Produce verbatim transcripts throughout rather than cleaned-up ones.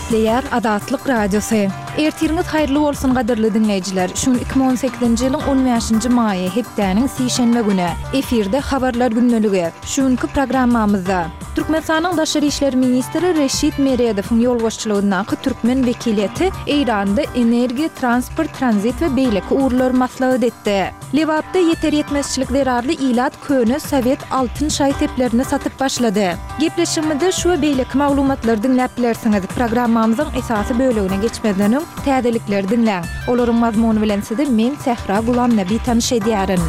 Gepleýär Azatlyk Radiosy. Ertiriňiz haýyrly bolsun gadyrly diňleýjiler. Şu gün iki müň on sekizinji ýylyň on bäşinji maýy, hepdäniň sişenbe güni. Efirde Habarlar gündeligi. Şu günki programmamyzda Türkmenistanyň Daşary işler ministri Reşit Meredowyň ýolbaşçylygyndaky türkmen wekiliýeti Eýranda energiýa, transport, tranzit we beýleki ugurlary maslahat etdi. Lebapda ýeter-ýetmezçilik zerarly ilat köne sowet altyn şaý-seplerini satyp başlady. Gepleşigimizde şu we beýleki maglumatlary diňläp bilersiňiz. Programmamyzyň esasy bölegine geçmezden öň, täzelikleri diňläň. Olaryň mazmuny bilen sizi men, Sähra Gulamnabi tanyş edýärin.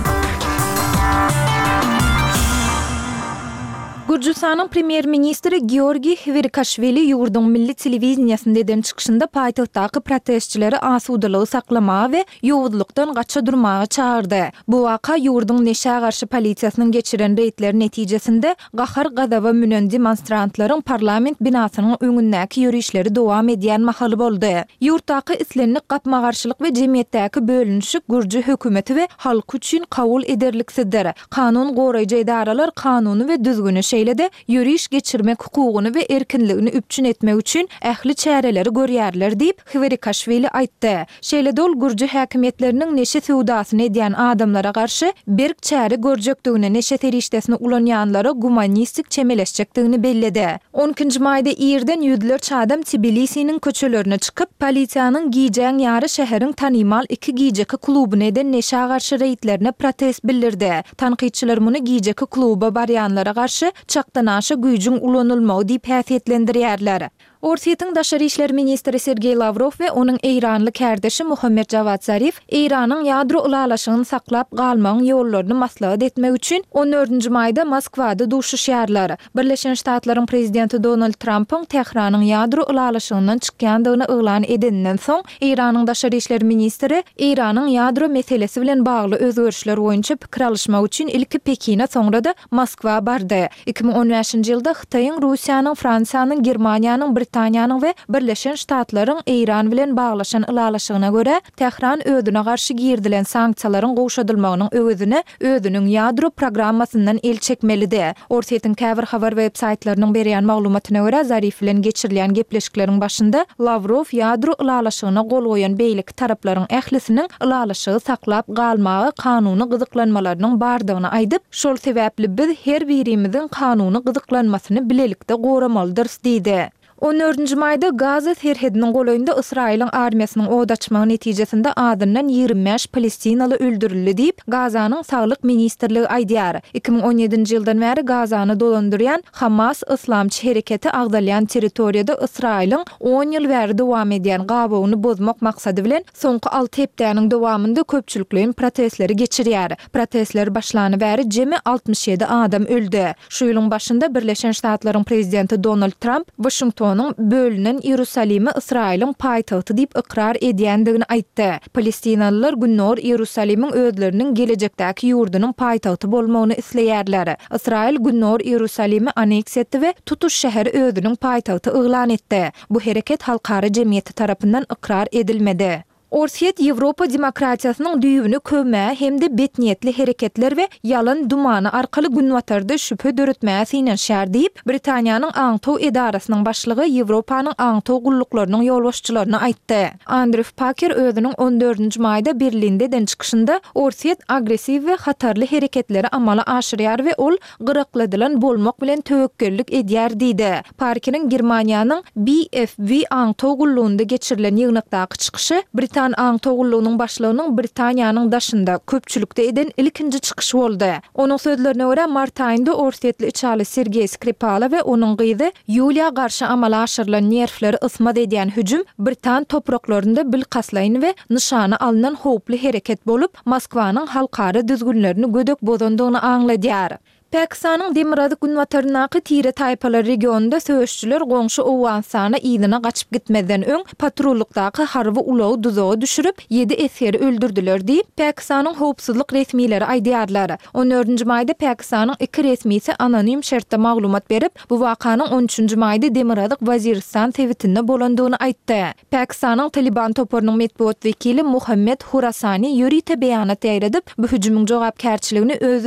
Gürjüstanyň premýer-ministri Georgiý Hwirikaşwili ýurduň milli telewideniýesinde eden çykyşynda paýtagtdaky protestçileri asudalygy saklamaga we ýowuzlykdan gaça durmaga çagyrdy. Bu waka ýurduň neşä garşy polisiýasynyň geçiren reýdleri netijesinde gahar-gazaba münen demonstrantlaryň parlament binasynyň öňündäki ýörişleri dowam edýän mahaly boldy. Ýurtdaky islendik gapma-garşylyk we jemgyýetdäki bölünişik gürji hökümeti we halky üçin kabul ederliksizdir. Kanun goraýjy edaralar kanuny we düzgüni, şeýle-de ýöriş geçirmek hukugyny we erkinligini üpjün etmek üçin ähli çäreleri görýärler diýip, Hwerikaşwili aýtdy. Şeýle-de ol gürji häkimiýetleriniň neşe söwdasyny edýän adamlara garşy berk çäre görjekdigini, neşe serişdesini ulanýanlara gumanistik çemeleşjekdigini belledi. On ikinji maýda irden ýüzlerçe adam Tbilisiniň köçelerine çykyp, polisiýanyň gijäň ýary şäheriň tanymal iki gijeki klubuny eden neşä garşy reýdlerine protest bildirdi. Tankytçylar muny gijeki kluba barýanlara garşy çakdanaşa güýjüň ulanylmagy diýip häsiýetlendirýärler. Orsýetiň daşary işler ministri Sergeý Lawrow we onuň eýranly kärdeşi Muhammet Jawad Zarif Eýranyň ýadro ylalaşygyny saklap galmagyň ýollaryny maslahat etmek üçin on dördünji maýda Moskwada duşuşýarlar. Birleşen Ştatlaryň prezidenti Donald Trampyň Tähranyň ýadro ylalaşygyndan çykýandygyny yglan edeninden soň, Eýranyň daşary işler ministri Eýranyň ýadro meselesi bilen bagly özgerişler boýunça pikir alyşmak üçin ilki Pekine, soňra-da Moskwa bardy. Iki müň on bäşinji ýylda Hytaýyň, Russiýanyň, Fransiýanyň, Germaniýanyň, Britaniýanyň we Birleşen Ştatlaryň Eýran bilen baglaşan ylalaşygyna görä, Tähran özüne garşy girizilen sanksiýalaryň gowşadylmagynyň öwezine özüniň ýadro programmasyndan el çekmelidi. Orsýetiň käbir habar websaýtlarynyň berýän maglumatyna görä, Zarif bilen geçirilýän gepleşikleriň başynda Lawrow ýadro ylalaşygyna gol goýan beýleki taraplaryň ählisiniň ylalaşygy saklap galmaga kanuny gyzyklanmalarynyň bardygyny aýdyp, şol sebäpli biz her birimiziň kanuny gyzyklanmasyny bilelikde goramalydyrys diýdi. On dördünji maýda Gaza serhediniň golaýynda Ysraýylyň armiýasynyň od açmagy netijesinde azyndan ýigrimi bäş palestinaly öldürildi diýip, Gazanyň Saglyk ministrligi aýdýar. Iki müň on ýedinji ýyldan bäri Gazany dolandyrýan Hamas yslamçy hereketi agzalýan territoriýada Ysraýylyň on ýyl bäri dowam edýän gabawyny bozmak maksady bilen soňky alty hepdäniň dowamynda köpçülikleýin protestleri geçirýär. Protestler başlany bäri jemi altmyş ýedi adam öldi. Şu ýylyň başynda Birleşen Ştatlaryň prezidenti Donald Tramp Waşingtonyň bölünen Iýerusalimi Ysraýylyň paýtagty diýip ykrar edýändigini aýtdy. Palestinalylar Gündogar Iýerusalimiň özleriniň gelejekdäki ýurdunyň paýtagty bolmagyny isleýärler. Ysraýyl Gündogar Iýerusalimi anneksiýa etdi we tutuş şäheri özüniň paýtagty yglan etdi. Bu hereket halkara jemgyýeti tarapyndan ykrar edilmedi. Orsýet Ýewropa demokratiýasynyň düýbüni köwmäge hem-de betniýetli hereketler we ýalan dumany arkaly Günbatarda şübhe döretmäge synanyşýar diýip, Britaniýanyň aňtaw edarasynyň başlygy Ýewropanyň aňtaw gulluklarynyň ýolbaşçylaryna aýtdy. Andrew Paker özüniň on dördünji maýda Berlinde eden çykyşynda Orsýet agressiw we hatarly hereketleri amala aşyrýar we ol gyrakladylan bolmak bilen töwekgellik edýär diýdi. Parkeriň Germaniýanyň B F W aňtaw gullugynda geçirilen ýygnakdaky çykyşy Britan aňtaw gullugynyň başlygynyň Britaniýanyň daşynda, köpçülikde eden ilkinji çykyşy boldy. Onuň sözlerine görä, mart aýynda orsýetli içaly Sergeý Skripala we onuň gyzy Ýuliýa garşy amala aşyrylan nerwleri ysmaz edýän hüjüm britan topraklarynda bilkastlaýyn we nyşana alnan howply hereket bolup, Moskwanyň halkara düzgünlerini gödek bozandygyny aňladýar. Pakistanyň demirgazyk-günbataryndaky tire-taýpalar regionynda söweşijiler goňşy Owganystana yzyna gaçyp gitmezden öň patrullykdaky harby ulagy duzaga düşürip, ýedi esgeri öldürdiler diýip, Pakistanyň howpsuzlyk resmileri aýdýarlar. On dördünji maýda Pakistanyň iki resmisi anonim şertde maglumat berip, bu wakanyň on üçünji maýda Demirgazyk Waziristan sebitinde bolandygyny aýtdy. Pakistanyň Talyban toparynyň metbugat wekili Muhammed Hurasani ýörite beýanat ýaýradyp, bu hüjümiň jogapkärçiligini öz